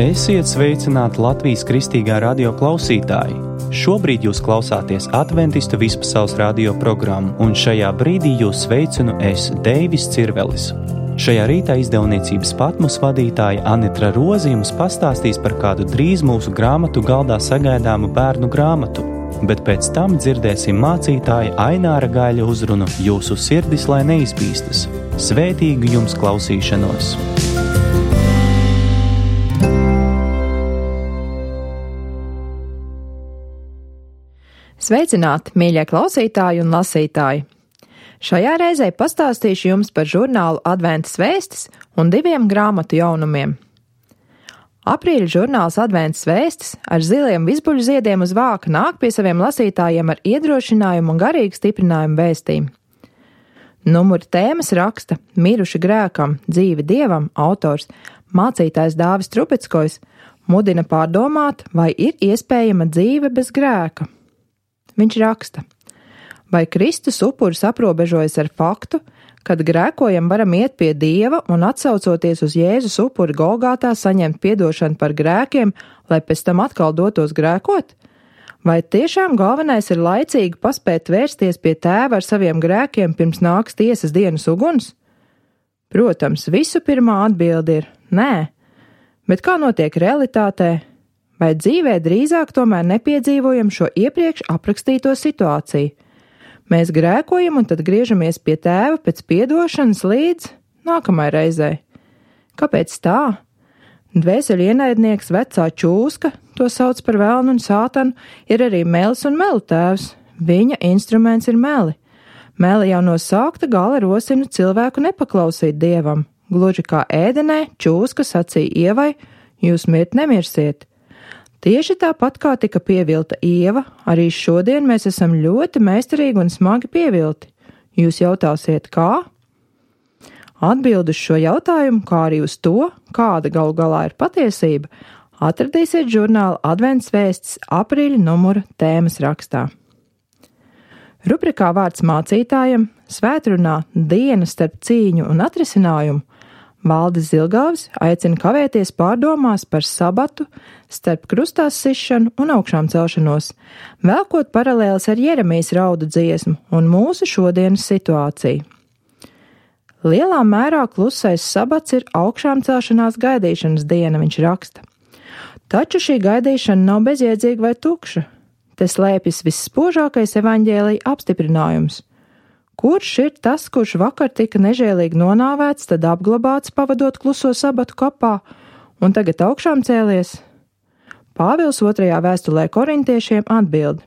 Esiet sveicināti Latvijas Kristīgā radio klausītāji! Šobrīd jūs klausāties Adventistu vispasaules radio programmu, un šajā brīdī jūs sveicinu es, Deivis Cirvelis. Šajā rītā izdevniecības Patmos vadītāja Anitra Roze jums pastāstīs par kādu drīz mūsu grāmatu galdā sagaidāmu bērnu grāmatu, bet pēc tam dzirdēsim mācītāja Aināra Gaļa uzrunu Jūsu sirdis, lai neizbīstas. Svētīgu jums klausīšanos! Sveicināti, mīļie klausītāji un lasītāji! Šajā reizē pastāstīšu jums par žurnālu Adventas vēstis un 2 grāmatu jaunumiem. Aprīļa žurnāls Adventas vēstis ar ziliem vizbuļu ziediem uz vāka nāk pie saviem lasītājiem ar iedrošinājumu un garīgu stiprinājumu vēstījumu. Numuri tēmas raksta Miruši grēkam, dzīvi Dievam autors mācītājs Dāvis Trubickojs mudina pārdomāt, vai ir iespējama dzīve bez grēka. Viņš raksta, vai Kristus upuris aprobežojas ar faktu, kad grēkojam varam iet pie Dieva un atsaucoties uz Jēzus upuri Golgātā saņemt piedošanu par grēkiem, lai pēc tam atkal dotos grēkot? Vai tiešām galvenais ir laicīgi paspēt vērsties pie Tēva ar saviem grēkiem pirms nāks tiesas dienas uguns? Protams, visu pirmā atbilde ir nē, bet kā notiek realitātē? Vai dzīvē drīzāk tomēr nepiedzīvojam šo iepriekš aprakstīto situāciju? Mēs grēkojam un tad griežamies pie Tēva pēc piedošanas līdz nākamai reizei. Kāpēc tā? Dvēseļu ienaidnieks vecā čūska, to sauc par velnu un sātanu, ir arī melis un melu tēvs. Viņa instruments ir meli. Meli jau no sākta gala rosina cilvēku nepaklausīt Dievam. Gluži kā ēdenē čūska sacīja Ievai, jūs mirt nemirsiet. Tieši tāpat kā tika pievilta Ieva, arī šodien mēs esam ļoti meistarīgi un smagi pievilti. Jūs jautāsiet, kā? Atbildi uz šo jautājumu, kā arī uz to, kāda galu galā ir patiesība, atradīsiet žurnāla Advents vēstis aprīļa numura tēmas rakstā. Rubrikā vārds mācītājam, svētrunā diena starp cīņu un atrisinājumu, Valdis Zilgāvis aicina kavēties pārdomās par sabatu, starp krustās sišanu un augšām celšanos, velkot paralēles ar Jeremijas raudu dziesmu un mūsu šodienas situāciju. Lielā mērā klusais sabats ir augšām celšanās gaidīšanas diena, viņš raksta. Taču šī gaidīšana nav bezjēdzīga vai tukša. Te slēpjas visspožākais evaņģēlija apstiprinājums. Kurš ir tas, kurš vakar tika nežēlīgi nonāvēts, tad apglabāts pavadot kluso sabatu kapā un tagad augšām cēlies? Pāvils 2. vēstulē korintiešiem atbild,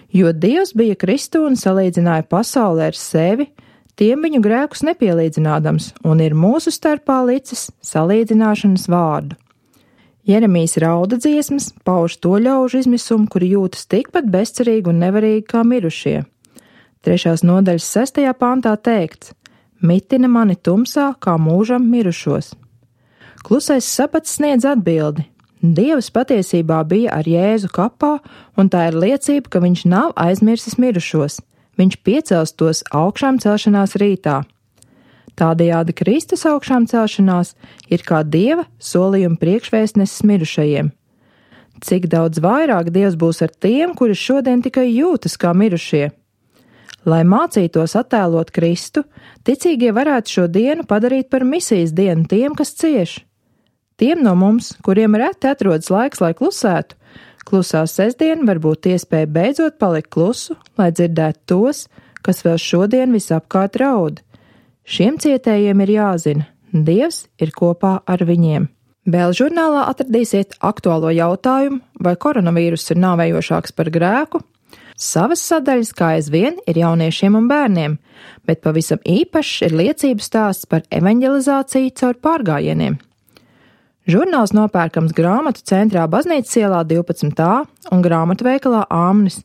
jo Dievs bija Kristu un salīdzināja pasauli ar sevi, tiem viņu grēkus nepielīdzinādams, un ir mūsu starpā licis salīdzināšanas vārdu. Jeremijas rauda dziesmas pauž to ļaužu izmisumu, kuri jūtas tikpat bezcerīgi un nevarīgi kā mirušie. 3. nodaļas 6. pantā teikts, mitina mani tumsā, kā mūžam mirušos. Klusais sabats sniedz atbildi. Dievs patiesībā bija ar Jēzu kapā, un tā ir liecība, ka viņš nav aizmirsis mirušos. Viņš piecels tos augšām celšanās rītā. Tādējādi Kristus augšām celšanās ir kā Dieva solījuma priekšvēstnesis mirušajiem. Cik daudz vairāk Dievs būs ar tiem, kuri šodien tikai jūtas kā mirušie? Lai mācītos attēlot Kristu, ticīgie varētu šo dienu padarīt par misijas dienu tiem, kas cieš. Tiem no mums, kuriem reti atrodas laiks, lai klusētu, klusā sestdiena var būt iespēja beidzot palikt klusu, lai dzirdētu tos, kas vēl šodien visapkārt raud. Šiem cietējiem ir jāzina, Dievs ir kopā ar viņiem. Vēl žurnālā atradīsiet aktuālo jautājumu, vai koronavīruss ir nāvējošāks par grēku. Savas sadaļas, kā aizvien, ir jauniešiem un bērniem, bet pavisam īpašs ir liecību stāsts par evaņģelizāciju caur pārgājieniem. Žurnāls nopērkams grāmatu centrā Baznīcas ielā 12a un grāmatveikalā Āmnis.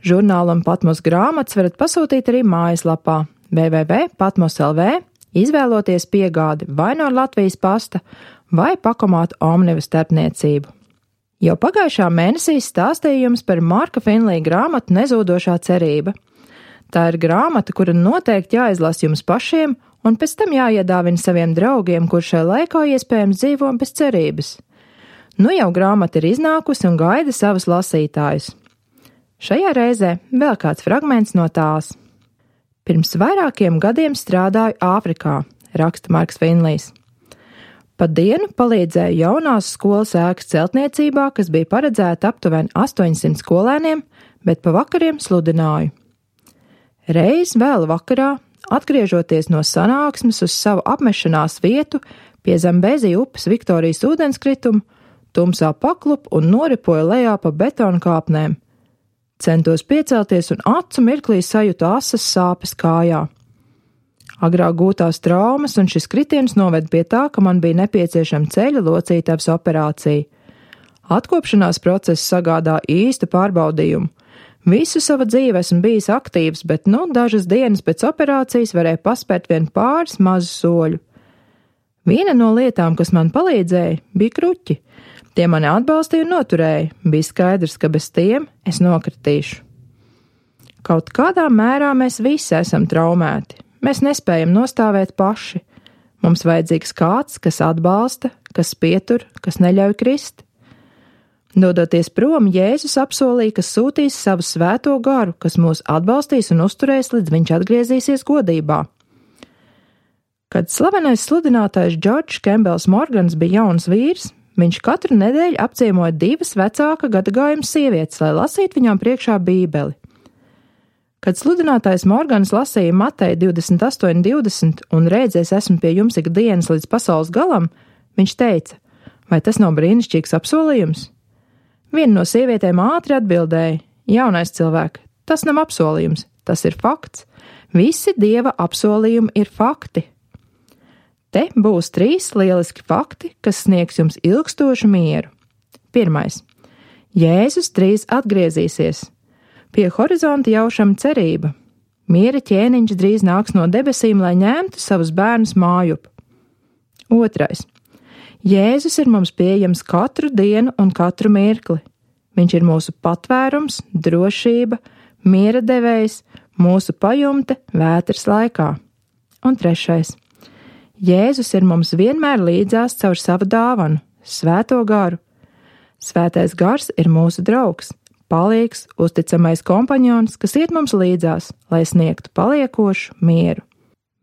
Žurnālu un Patmos grāmatas varat pasūtīt arī mājaslapā www.patmos.lv, izvēloties piegādi vai no Latvijas pasta vai pakomātu Omnivas starpniecību. Jau pagājušā mēnesī stāstīju jums par Marka Finlija grāmatu Nezūdošā cerība. Tā ir grāmata, kura noteikti jāizlasa jums pašiem un pēc tam jāiedāvina saviem draugiem, kur šai laikā iespējams dzīvo bez cerības. Nu jau grāmata ir iznākusi un gaida savus lasītājus. Šajā reizē vēl kāds fragments no tās. Pirms vairākiem gadiem strādāju Āfrikā, raksta Marks Finlijs. Pa dienu palīdzēju jaunās skolas ēkas celtniecībā, kas bija paredzēta aptuveni 800 skolēniem, bet pa vakariem sludināju. Reiz vēl vakarā, atgriežoties no sanāksmes uz savu apmešanās vietu pie Zambezi upes Viktorijas ūdenskrituma, tumsā paklupu un noripoju lejā pa betona kāpnēm. Centos piecelties un acu mirklī sajūtu asas sāpes kājā. Agrāk gūtās traumas un šis kritiens noved pie tā, ka man bija nepieciešama ceļa locītavas operācija. Atkopšanās process sagādā īstu pārbaudījumu. Visu savu dzīvi esmu bijis aktīvs, bet dažas dienas pēc operācijas varēju paspērt vien pāris mazu soļu. Viena no lietām, kas man palīdzēja, bija kruķi. Tie mani atbalstīja un noturēja. Bija skaidrs, ka bez tiem es nokritīšu. Kaut kādā mērā mēs visi esam traumēti. Mēs nespējam nostāvēt paši. Mums vajadzīgs kāds, kas atbalsta, kas pietur, kas neļauj krist. Dodoties prom, Jēzus apsolīja, ka sūtīs savu svēto garu, kas mūs atbalstīs un uzturēs, līdz viņš atgriezīsies godībā. Kad slavenais sludinātājs Džordžs Kembels Morgans bija jauns vīrs, viņš katru nedēļu apciemoja 2 vecāka gadagājuma sievietes, lai lasītu viņām priekšā Bībeli. Kad sludinātājs Morgans lasīja Mateja 28:20 un rēdzies esmu pie jums ikdienas līdz pasaules galam, viņš teica, vai tas nav brīnišķīgs apsolījums? Viena no sievietēm ātri atbildēja, jaunais cilvēks, tas nav apsolījums, tas ir fakts. Visi Dieva apsolījumi ir fakti. Te būs 3 lieliski fakti, kas sniegs jums ilgstošu mieru. 1. Jēzus drīz atgriezīsies. Pie horizonta jaušama cerība. Miera ķēniņš drīz nāks no debesīm, lai ņemtu savus bērnus mājup. 2. Jēzus ir mums pieejams katru dienu un katru mirkli. Viņš ir mūsu patvērums, drošība, miera devējs, mūsu pajumte vētras laikā. Un 3. Jēzus ir mums vienmēr līdzās caur savu dāvanu, svēto garu. Svētais gars ir mūsu draugs. Palīgs, uzticamais kompaņons, kas iet mums līdzās, lai sniegtu paliekošu mieru.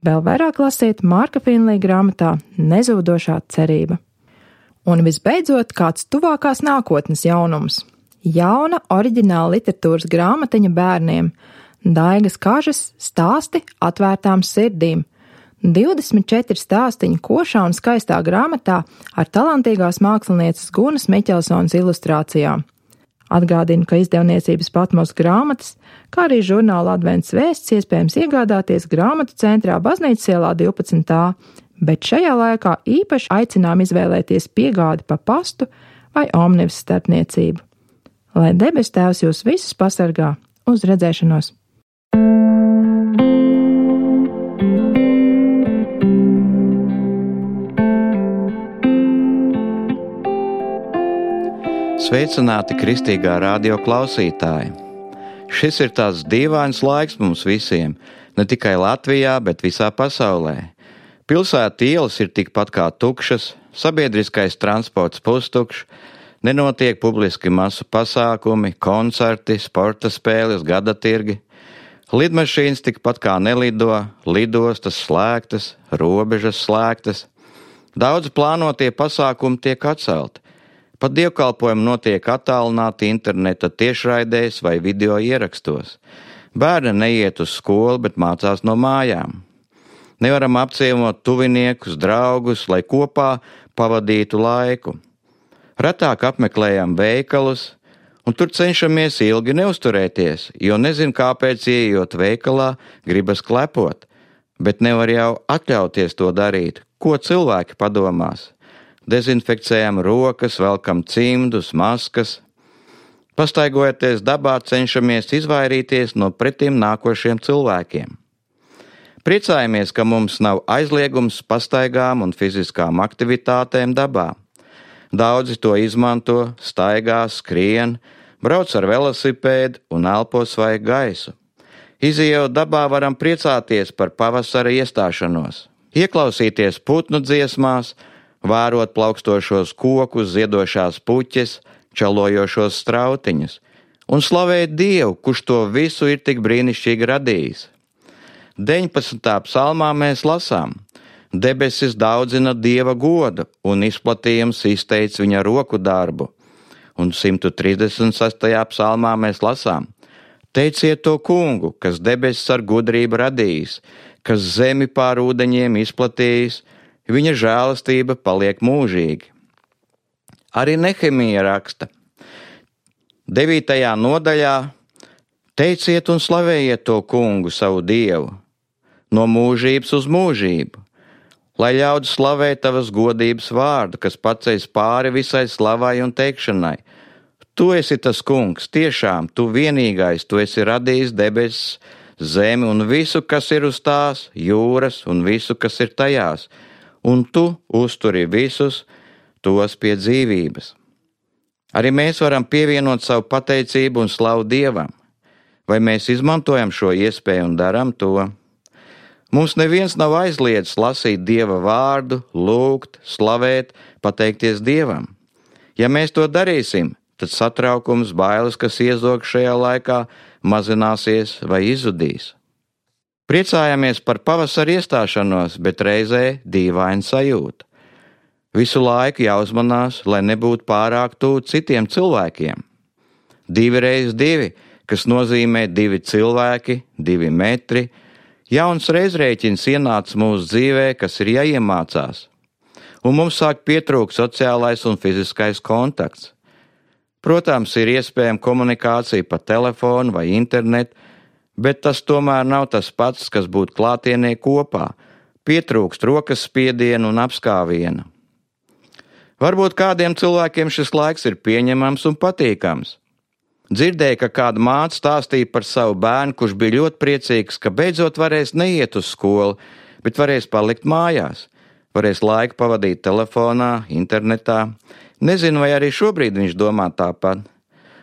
Vēl vairāk lasiet Marka Finlija grāmatā Nezūdošā cerība. Un visbeidzot, kāds tuvākās nākotnes jaunums. Jauna oriģināla literatūras grāmatiņa bērniem. Daigas Kažas stāsti atvērtām sirdīm. 24 stāstiņu košā un skaistā grāmatā ar talantīgās mākslinieces Gunas Miķelsonas ilustrācijām. Atgādinu, ka izdevniecības Patmos grāmatas, kā arī žurnāla Advents vēsts iespējams iegādāties grāmatu centrā Baznīcas ielā 12. Bet šajā laikā īpaši aicinām izvēlēties piegādi pa pastu vai omnibus starpniecību. Lai debes Tēvs jūs visus pasargā, uz redzēšanos! Sveicināti kristīgā radio klausītāji! Šis ir tāds dīvains laiks mums visiem, ne tikai Latvijā, bet visā pasaulē. Pilsētu ielas ir tikpat kā tukšas, sabiedriskais transports pustukšs, nenotiek publiski masu pasākumi, koncerti, sporta spēles, gadatirgi. Lidmašīnas tikpat kā nelido, lidostas slēgtas, robežas slēgtas. Daudz plānotie pasākumi tiek atcelti. Pat dievkalpojumi notiek attālināti interneta tiešraidēs vai video ierakstos. Bērni neiet uz skolu, bet mācās no mājām. Nevaram apciemot tuviniekus, draugus, lai kopā pavadītu laiku. Retāk apmeklējam veikalus, un tur cenšamies ilgi neusturēties, jo nezinu, kāpēc ieejot veikalā gribas klepot, bet nevar jau atļauties to darīt. Ko cilvēki padomās? Dezinfekcijām rokas, velkam cimdus, maskas. Pastaigojoties dabā, cenšamies izvairīties no pretim nākošiem cilvēkiem. Priecājamies, ka mums nav aizliegums pastaigām un fiziskām aktivitātēm dabā. Daudzi to izmanto, staigā, skrien, brauc ar velosipēdu un elpo svaigu gaisu. Izejot dabā varam priecāties par pavasara iestāšanos, ieklausīties putnu dziesmās, vērot plaukstošos kokus, ziedošās puķes, čalojošos strautiņus, un slavēt Dievu, kurš to visu ir tik brīnišķīgi radījis. 19. psalmā mēs lasām: debesis daudzina Dieva godu, un izplatījums izteic viņa roku darbu. Un 136. psalmā mēs lasām: teiciet to kungu, kas debesis ar gudrību radījis, kas zemi pār ūdeņiem izplatījis, viņa žēlastība paliek mūžīgi. Arī Nehemija raksta 9. nodaļā: teiciet un slavējiet to kungu savu Dievu, no mūžības uz mūžību, lai ļaudis slavē tavas godības vārdu, kas paceļas pāri visai slavai un teikšanai. Tu esi tas kungs, tiešām, tu vienīgais, tu esi radījis debesis, zemi un visu, kas ir uz tās, jūras un visu, kas ir tajās, un tu uzturi visus tos pie dzīvības. Arī mēs varam pievienot savu pateicību un slavu Dievam. Vai mēs izmantojam šo iespēju un darām to? Mums neviens nav aizliedzis lasīt Dieva vārdu, lūgt, slavēt, pateikties Dievam. Ja mēs to darīsim, tad satraukums, bailes, kas iezog šajā laikā, mazināsies vai izzudīs. Priecājamies par pavasara iestāšanos, bet reizē dīvaina sajūta. Visu laiku jāuzmanās, lai nebūtu pārāk tuvu citiem cilvēkiem. 2x2, kas nozīmē 2 cilvēki, 2 metri. Jauns reizrēķins ienāca mūsu dzīvē, kas ir jāiemācās, un mums sāk pietrūkt sociālais un fiziskais kontakts. Protams, ir iespējama komunikācija pa telefonu vai internetu, bet tas tomēr nav tas pats, kas būt klātienē kopā. Pietrūkst rokas spiedienu un apskāviena. Varbūt kādiem cilvēkiem šis laiks ir pieņemams un patīkams. Dzirdēju, ka kāda māte stāstīja par savu bērnu, kurš bija ļoti priecīgs, ka beidzot varēs neiet uz skolu, bet varēs palikt mājās, varēs laiku pavadīt telefonā, internetā. Nezinu, vai arī šobrīd viņš domā tāpat.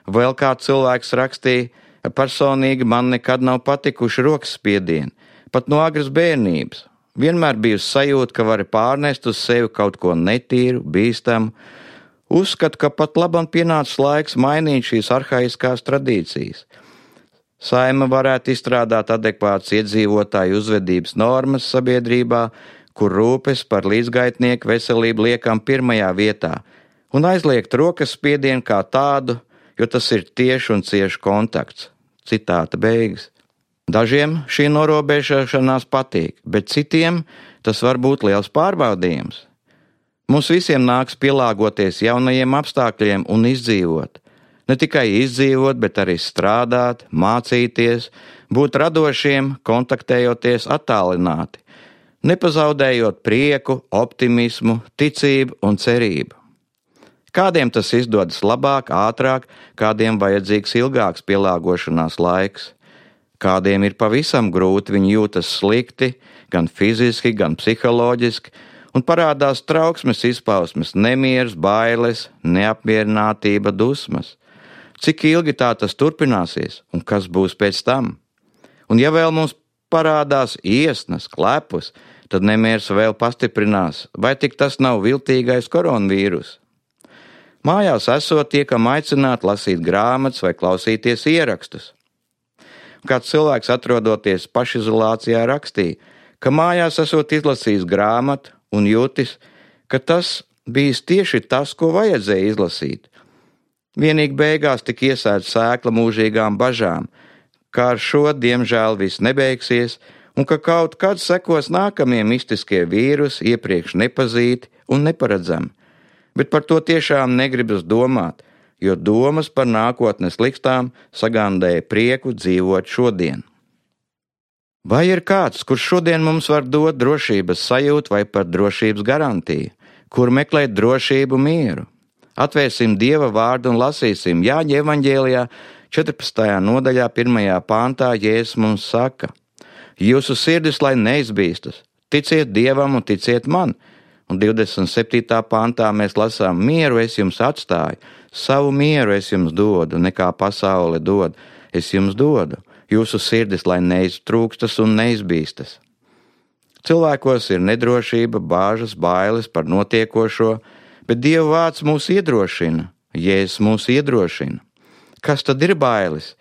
Vēl kāds cilvēks rakstīja: personīgi man nekad nav patikuši rokas spiedieni, pat no agras bērnības. Vienmēr bijusi sajūta, ka vari pārnest uz sevi kaut ko netīru, bīstamu. Uzskatu, ka pat labam pienācis laiks mainīt šīs arhaiskās tradīcijas. Saeima varētu izstrādāt adekvātas iedzīvotāju uzvedības normas sabiedrībā, kur rūpes par līdzgaitnieku veselību liekam pirmajā vietā, un aizliegt rokas spiedienu kā tādu, jo tas ir tieši un cieši kontakts. Citāta beigas. Dažiem šī norobežošanās patīk, bet citiem tas var būt liels pārbaudījums. Mums visiem nāks pielāgoties jaunajiem apstākļiem un izdzīvot. Ne tikai izdzīvot, bet arī strādāt, mācīties, būt radošiem, kontaktējoties attālināti, nepazaudējot prieku, optimismu, ticību un cerību. Kādiem tas izdodas labāk, ātrāk, kādiem vajadzīgs ilgāks pielāgošanās laiks. Kādiem ir pavisam grūti, viņi jūtas slikti, gan fiziski, gan psiholoģiski, un parādās trauksmes izpausmes, nemieris, bailes, neapmierinātība, dusmas. Cik ilgi tā tas turpināsies, un kas būs pēc tam? Un ja vēl mums parādās iesnas, klepus, tad nemieris vēl pastiprinās, vai tik tas nav viltīgais koronavīrus? Mājās esot, tiekam aicināt lasīt grāmatas vai klausīties ierakstus. Kāds cilvēks, atrodoties pašizolācijā, rakstīja, ka mājās esot izlasījis grāmatu un jūtis, ka tas bijis tieši tas, ko vajadzēja izlasīt. Vienīgi beigās tika iesēta sēkla mūžīgām bažām, ka ar šo, diemžēl, viss nebeigsies, un ka kaut kad sekos nākamie mistiskie vīrusi, iepriekš nepazīti un neparedzami. Bet par to tiešām negribas domāt, jo domas par nākotnes likstām sagandēja prieku dzīvot šodien. Vai ir kāds, kurš šodien mums var dot drošības sajūtu vai pat drošības garantiju, kur meklēt drošību, mieru? Atvērsim Dieva vārdu un lasīsim. Jāņa evaņģēlijā 14. nodaļā 1. pāntā Jēzus mums saka: jūsu sirdis lai neizbīstas, ticiet Dievam un ticiet man. Un 27. pāntā mēs lasām: mieru es jums atstāju, savu mieru es jums dodu, nekā pasaule dod, es jums dodu. Jūsu sirdis lai neiztrūkstas un neizbīstas. Cilvēkos ir nedrošība, bāžas, bailes par notiekošo, bet Dieva vārds mūs iedrošina, Jēzus mūs iedrošina. Kas tad ir bailes?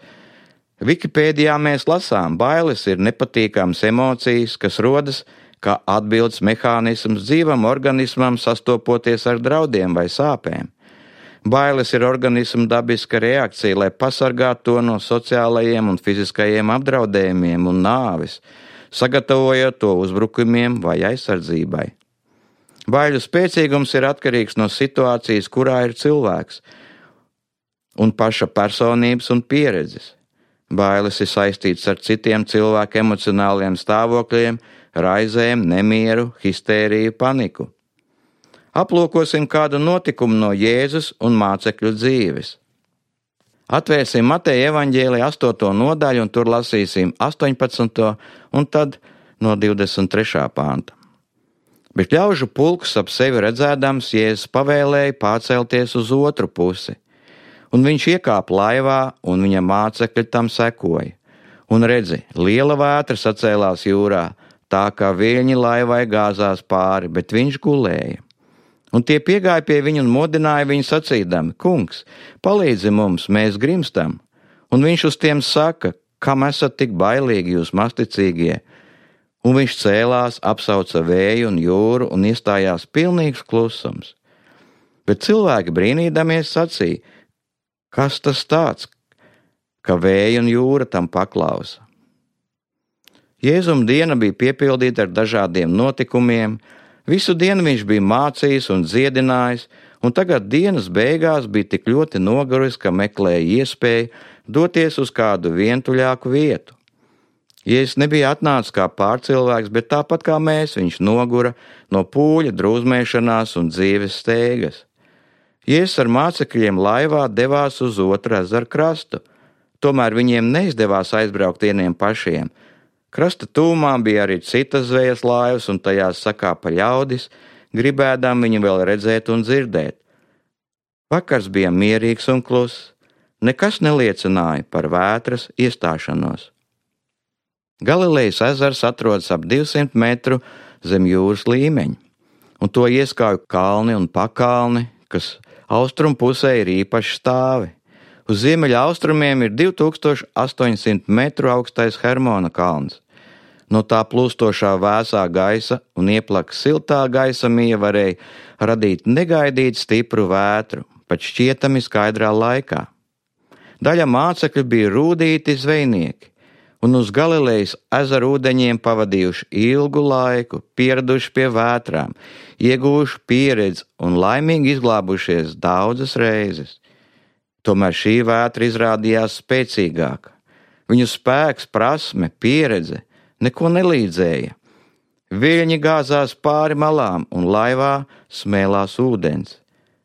Wikipēdijā mēs lasām, bailes ir nepatīkamas emocijas, kas rodas kā atbildes mehānisms dzīvam organismam sastopoties ar draudiem vai sāpēm. Bailes ir organisma dabiska reakcija, lai pasargātu to no sociālajiem un fiziskajiem apdraudējumiem un nāvis, sagatavojot to uzbrukumiem vai aizsardzībai. Baiļu spēcīgums ir atkarīgs no situācijas, kurā ir cilvēks, un paša personības un pieredzes. Bailes ir saistītas ar citiem cilvēku emocionāliem stāvokļiem, raizēm, nemieru, histēriju, paniku. Aplūkosim kādu notikumu no Jēzus un mācekļu dzīves. Atvērsim Mateja evaņģēlija 8. nodaļu un tur lasīsim 18. un tad no 23. panta. Bet ļaužu pulks ap sevi redzēdams, Jēzus pavēlēja pārcelties uz otru pusi, un viņš iekāpa laivā, un viņa mācekļi tam sekoja. Un redzi, liela vētra sacēlās jūrā, tā kā viļņi laivai gāzās pāri, bet viņš gulēja. Un tie piegāja pie viņa un modināja viņu sacīdami: Kungs, palīdzi mums, mēs grimstam. Un viņš uz tiem saka: Kam esat tik bailīgi jūs masticīgie? Un viņš cēlās, apsauca vēju un jūru un iestājās pilnīgs klusums. Bet cilvēki brīnīdamies sacīja: Kas tas tāds, ka vēja un jūra tam paklausa? Jēzuma diena bija piepildīta ar dažādiem notikumiem. Visu dienu viņš bija mācījis un dziedinājis, un tagad dienas beigās bija tik ļoti noguris, ka meklēja iespēju doties uz kādu vientuļāku vietu. Jēzus nebija atnācis kā pārcilvēks, bet tāpat kā mēs, viņš nogura no pūļa, drūzmēšanās un dzīves steigas. Jēzus ar mācekļiem laivā devās uz otru ezeru krastu, tomēr viņiem neizdevās aizbraukt vieniem pašiem. Krasta tūmā bija arī citas zvejas laivas, un tajās sakāpa ļaudis, gribēdām viņu vēl redzēt un dzirdēt. Vakars bija mierīgs un kluss, nekas neliecināja par vētras iestāšanos. Galilejas ezers atrodas ap 200 metru zem jūras līmeņa, un to ieskauj kalni un pakalni, kas austrumu pusē ir īpaši stāvi. Uz ziemeļa austrumiem ir 2800 metru augstais Hermona kalns. No tā plūstošā vēsā gaisa un ieplaka siltā gaisa mija varēja radīt negaidīt stipru vētru, pat šķietami skaidrā laikā. Daļa mācekļu bija rūdīti zvejnieki, un uz Galilejas ezera ūdeņiem pavadījuši ilgu laiku, pieraduši pie vētrām, ieguvuši pieredzi un laimīgi izglābušies daudzas reizes. Tomēr šī vētra izrādījās spēcīgāka. Viņu spēks, prasme, pieredze neko nelīdzēja. Viļņi gāzās pāri malām un laivā smēlās ūdens.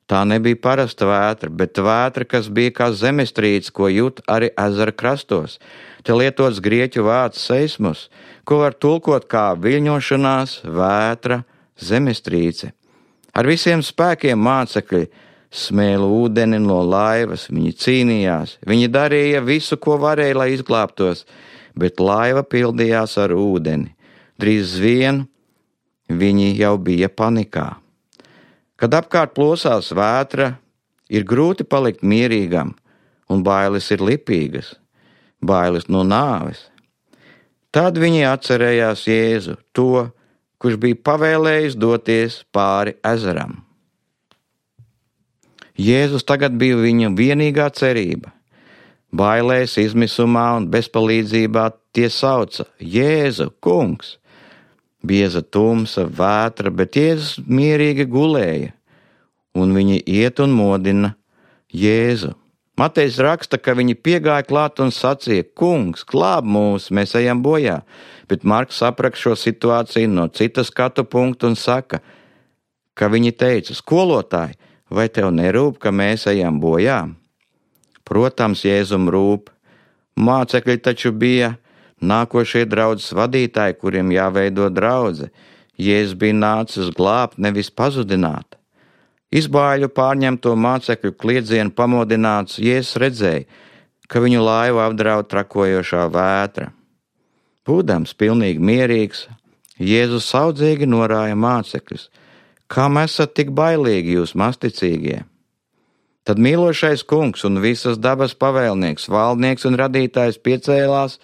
Tā nebija parasta vētra, bet vētra, kas bija kā zemestrīce, ko jūt arī ezera krastos. Te lietots grieķu vārds seismus, ko var tulkot kā viļņošanās, vētra, zemestrīce. Ar visiem spēkiem mācekļi smēla ūdeni no laivas, viņi cīnījās, viņi darīja visu, ko varēja, lai izglābtos, bet laiva pildījās ar ūdeni. Drīz vien viņi jau bija panikā. Kad apkārt plosās vētra, ir grūti palikt mierīgam, un bailes ir lipīgas, bailes no nāves. Tad viņi atcerējās Jēzu, to, kurš bija pavēlējis doties pāri ezeram. Jēzus tagad bija viņa vienīgā cerība. Bailēs, izmisumā un bezpalīdzībā tie sauca: Jēzu, kungs! Bieza tumsa, vētra, bet Jēzus mierīgi gulēja, un viņi iet un modina Jēzu. Matejs raksta, ka viņi piegāja klāt un sacīja: Kungs, glāb mūs, mēs ejam bojā, bet Marks apraksta šo situāciju no cita skatu punkta un saka, ka viņi teica: Skolotāj, vai tev nerūp, ka mēs ejam bojā? Protams, Jēzum rūp. Mācekļi taču bija nākošie draudzes vadītāji, kuriem jāveido draudze. Jēzus bija nācis glābt, nevis pazudināt. Izbāļu pārņemto mācekļu kliedzienu pamodināts, Jēzus redzēja, ka viņu laivu apdraud trakojošā vētra. Būdams pilnīgi mierīgs, Jēzus saudzīgi norāja mācekļus: Kam esat tik bailīgi, jūs mazticīgie? Tad mīlošais kungs un visas dabas pavēlnieks, valdnieks un radītājs piecēlās,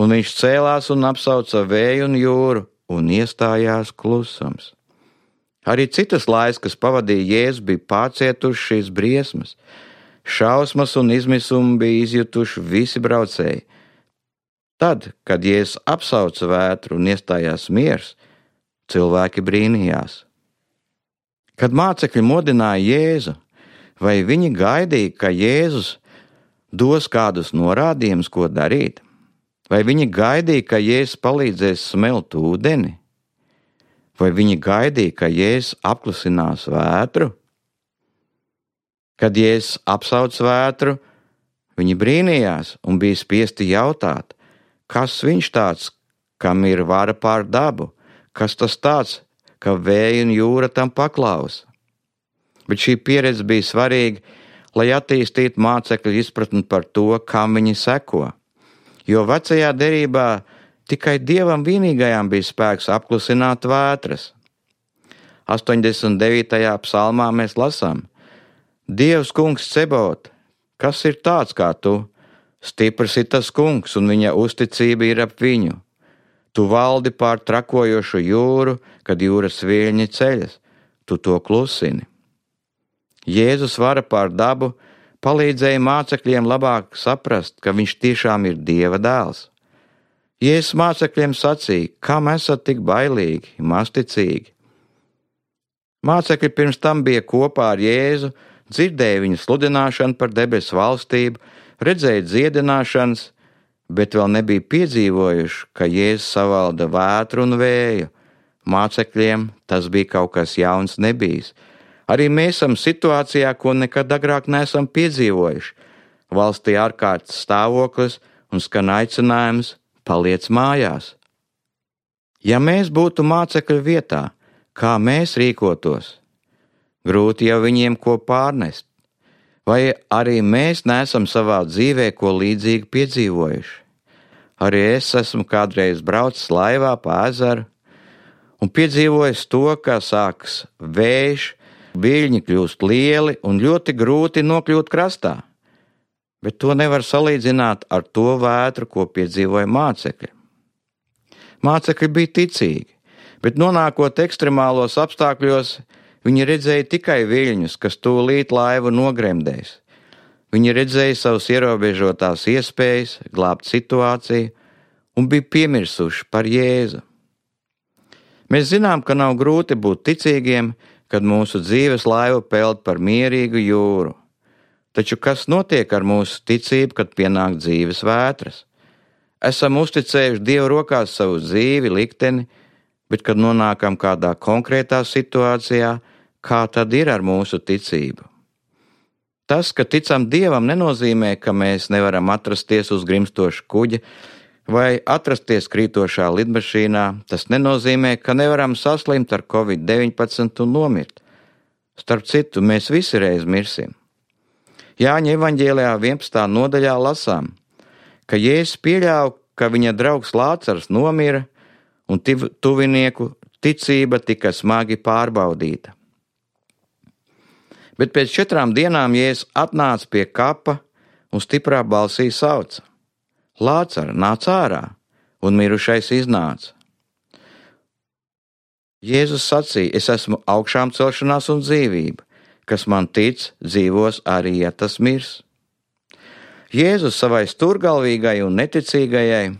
un viņš cēlās un apsauca vēju un jūru, un iestājās klusums. Arī citas laias, kas pavadīja Jēzu, bija pārcietuši šīs briesmas. Šausmas un izmisumu bija izjutuši visi braucēji. Tad, kad Jēzus apsauca vētru un iestājās miers, cilvēki brīnījās. Kad mācekļi modināja Jēzu, vai viņi gaidīja, ka Jēzus dos kādus norādījumus, ko darīt? Vai viņi gaidīja, ka Jēzus palīdzēs smelt ūdeni? Vai viņi gaidīja, ka Jēzus apklusinās vētru? Kad Jēzus apsauc vētru, viņi brīnījās un bija spiesti jautāt, kas viņš tāds, kam ir vara pār dabu, kas tas tāds, ka vēja un jūra tam paklausa. Bet šī pieredze bija svarīga, lai attīstītu mācekļu izpratni par to, kam viņi seko. Jo vecajā derībā tikai Dievam vienīgajām bija spēks apklusināt vētras. 89. psalmā mēs lasām: Dievs kungs Cebot, kas ir tāds kā tu? Stiprs ir tas kungs, un viņa uzticība ir ap viņu. Tu valdi pār trakojošu jūru, kad jūras viļņi ceļas, tu to klusini. Jēzus vara pār dabu palīdzēja mācekļiem labāk saprast, ka viņš tiešām ir Dieva dēls. Jēzus mācekļiem sacīja: Kam esat tik bailīgi, mazticīgi? Mācekļi pirms tam bija kopā ar Jēzu, dzirdēja viņa sludināšanu par debesu valstību, redzēja dziedināšanas, bet vēl nebija piedzīvojuši, ka Jēzus savalda vētru un vēju. Mācekļiem tas bija kaut kas jauns nebijis. Arī mēs esam situācijā, ko nekad agrāk neesam piedzīvojuši. Valstī ārkārtas stāvoklis un skan aicinājums: paliec mājās. Ja mēs būtu mācekļu vietā, kā mēs rīkotos? Grūti jau viņiem ko pārnest. Vai arī mēs neesam savā dzīvē ko līdzīgu piedzīvojuši? Arī es esmu kādreiz braucis laivā pa ezeru un piedzīvojis to, kā sākas vējš, viļņi kļūst lieli un ļoti grūti nokļūt krastā. Bet to nevar salīdzināt ar to vētru, ko piedzīvoja mācekļi. Mācekļi bija ticīgi, bet nonākot ekstremālos apstākļos, viņi redzēja tikai viļņus, kas tūlīt laivu nogremdēs. Viņi redzēja savas ierobežotās iespējas glābt situāciju un bija piemirsuši par Jēzu. Mēs zinām, ka nav grūti būt ticīgiem, kad mūsu dzīves laiva peld par mierīgu jūru. Taču kas notiek ar mūsu ticību, kad pienāk dzīves vētras? Esam uzticējuši Dieva rokās savu dzīvi, likteni, bet kad nonākam kādā konkrētā situācijā, kā tad ir ar mūsu ticību? Tas, ka ticam Dievam, nenozīmē, ka mēs nevaram atrasties uz grimstoša kuģa vai atrasties krītošā lidmašīnā. Tas nenozīmē, ka nevaram saslimt ar Covid-19 un nomirt. Starp citu, mēs visi reiz mirsim. Jāņa evaņģēlijā 11. nodaļā lasām, ka Jēzus pieļāva, ka viņa draugs Lācars nomira un tuvinieku ticība tika smagi pārbaudīta. Bet pēc 4 dienām Jēzus atnāca pie kapa un stiprā balsī sauca: Lācar, nāc ārā! Un mirušais iznāca. Jēzus sacīja: Es esmu augšām celšanās un dzīvība. Kas man tic, dzīvos arī, ja tas mirs. Jēzus savai stūrgalvīgai un neticīgajai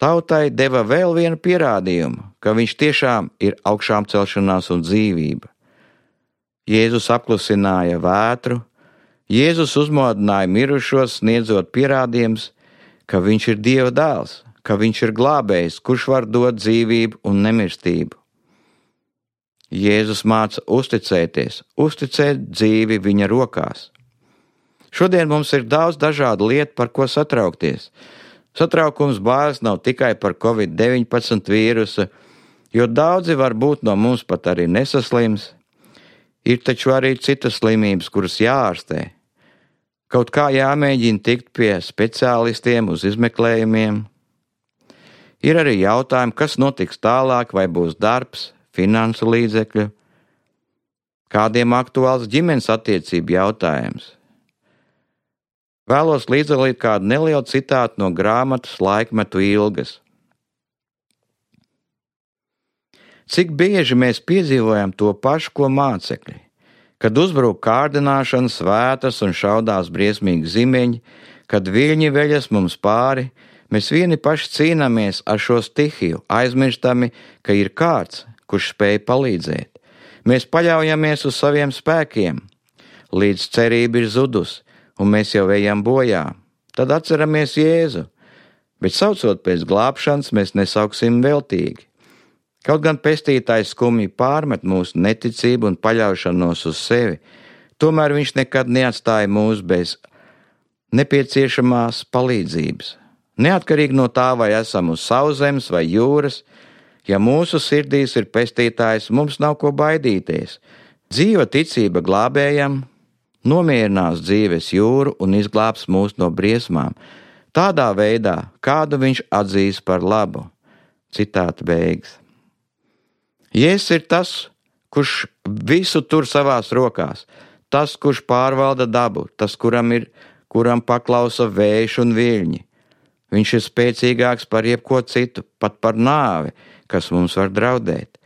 tautai deva vēl vienu pierādījumu, ka viņš tiešām ir augšām celšanās un dzīvība. Jēzus apklusināja vētru, Jēzus uzmodināja mirušos, sniedzot pierādījumus, ka viņš ir Dieva dēls, ka viņš ir glābējs, kurš var dot dzīvību un nemirstību. Jēzus māca uzticēties, uzticēt dzīvi viņa rokās. Šodien mums ir daudz dažādu lietu, par ko satraukties. Satraukums bailes nav tikai par Covid-19 vīrusu, jo daudzi varbūt no mums pat arī nesaslims. Ir taču arī citas slimības, kuras jāārstē. Kaut kā jāmēģina tikt pie speciālistiem uz izmeklējumiem. Ir arī jautājumi, kas notiks tālāk, vai būs darbs, finansu līdzekļu, kādiem aktuāls ģimenes attiecību jautājums. Vēlos līdzdalīt kādu nelielu citātu no grāmatas Laikmetu ilgas. Cik bieži mēs piedzīvojam to pašu, ko mācekļi, kad uzbrūk kārdināšanas, vētras un šaudās briesmīgi zimeņi, kad viļņi veļas mums pāri, mēs vieni paši cīnāmies ar šo stihiju, aizmirstami, ka ir kāds, kurš spēj palīdzēt. Mēs paļaujamies uz saviem spēkiem, līdz cerība ir zudus, un mēs jau ejam bojā. Tad atceramies Jēzu, bet saucot pēc glābšanas, mēs nesauksim veltīgi. Kaut gan pestītājs skumji pārmet mūsu neticību un paļaušanos uz sevi, tomēr viņš nekad neatstāja mūs bez nepieciešamās palīdzības. Neatkarīgi no tā, vai esam uz sauszemes vai jūras, ja mūsu sirdīs ir pestītājs, mums nav ko baidīties. Dzīva ticība glābējam nomierinās dzīves jūru un izglābs mūs no briesmām, tādā veidā, kādu viņš atzīs par labu. Citāta beigas. Jēzus ir tas, kurš visu tur savās rokās, tas, kurš pārvalda dabu, tas, kuram paklausa vējš un viļņi. Viņš ir spēcīgāks par jebko citu, pat par nāvi, kas mums var draudēt.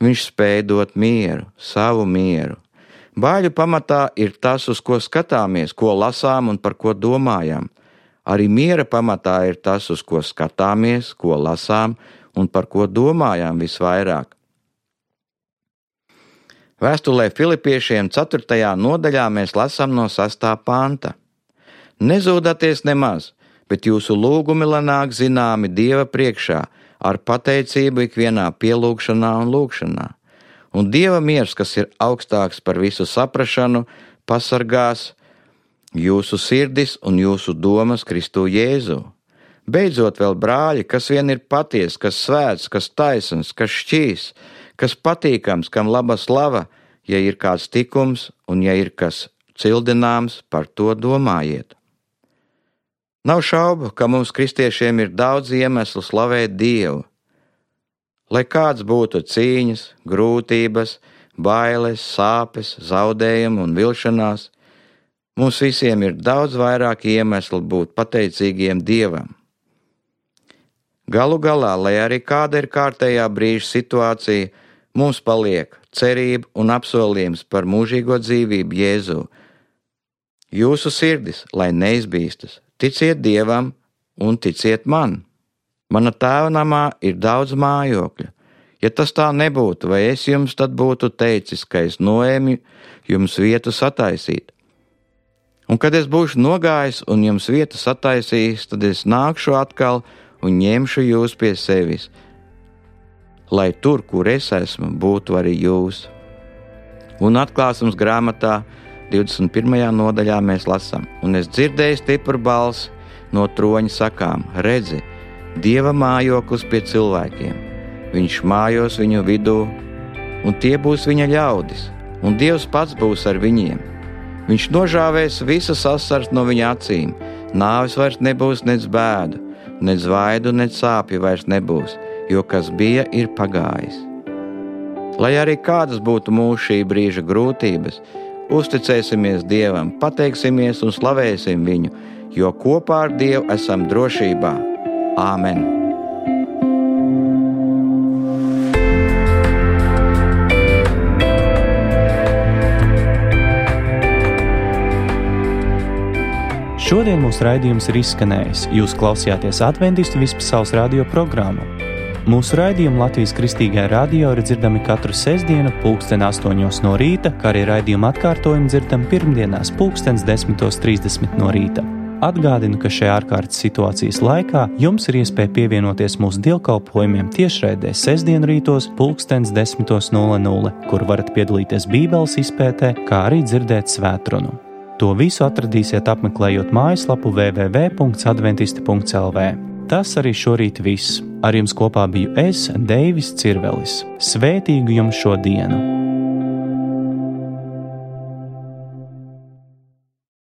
Viņš spēj dot mieru, savu mieru. Baiļu pamatā ir tas, uz ko skatāmies, ko lasām un par ko domājam. Arī miera pamatā ir tas, uz ko skatāmies, ko lasām un par ko domājam visvairāk. Vēstulē Filipiešiem 4. nodaļā mēs lasām no 6. panta. Nezūdaties nemaz, bet jūsu lūgumi lai nāk zināmi Dieva priekšā, ar pateicību ikvienā pielūgšanā un lūgšanā. Un Dieva miers, kas ir augstāks par visu saprašanu, pasargās jūsu sirdis un jūsu domas Kristu Jēzu. Beidzot vēl, brāļi, kas vien ir paties, kas svēts, kas taisns, kas šķīs, kas patīkams, kam laba slava, ja ir kāds tikums un ja ir kas cildināms, par to domājiet. Nav šaubu, ka mums kristiešiem ir daudz iemeslu slavēt Dievu. Lai kāds būtu cīņas, grūtības, bailes, sāpes, zaudējumi un vilšanās, mums visiem ir daudz vairāk iemeslu būt pateicīgiem Dievam. Galu galā, lai arī kāda ir kārtējā brīža situācija, mums paliek cerība un apsolījums par mūžīgo dzīvību Jēzu. Jūsu sirdis, lai neizbīstas, ticiet Dievam un ticiet man. Mana tēva namā ir daudz mājokļu. Ja tas tā nebūtu, vai es jums tad būtu teicis, ka es noēmu jums vietu sataisīt? Un kad es būšu nogājis un jums vietu sataisījis, tad es nākšu atkal un ņemšu jūs pie sevis, lai tur, kur es esmu, būtu arī jūs. Un atklāsums grāmatā 21. nodaļā mēs lasām, un es dzirdēju stipru balsi no troņa sakām, redzi, Dieva mājoklis pie cilvēkiem. Viņš mājos viņu vidū, un tie būs viņa ļaudis, un Dievs pats būs ar viņiem. Viņš nožāvēs visas asaras no viņa acīm, nāves vairs nebūs nec bēdu, nec vaidu, nec sāpju vairs nebūs, jo kas bija, ir pagājis. Lai arī kādas būtu mūsu šī brīža grūtības, uzticēsimies Dievam, pateiksimies un slavēsim viņu, jo kopā ar Dievu esam drošībā. Āmen! Šodien mūsu raidījums ir izskanējis. Jūs klausījāties Adventistu vispasaules radio programmu. Mūsu raidījumi Latvijas Kristīgajā radio ir dzirdami katru sestdienu 8:00 no rīta, kā arī raidījuma atkārtojumi dzirdami pirmdienās 10:30 no rīta. Atgādinu, ka šajā ārkārtas situācijas laikā jums ir iespēja pievienoties mūsu dievkalpojumiem tiešraidē sestdienu rītos 10:00, kur varat piedalīties Bībeles izpētē, kā arī dzirdēt svētrunu. To visu atradīsiet apmeklējot mājaslapu www.adventisti.lv. Tas arī šorīt viss. Ar jums kopā biju es, Deivis Cirvelis. Svētīgu jums šo dienu!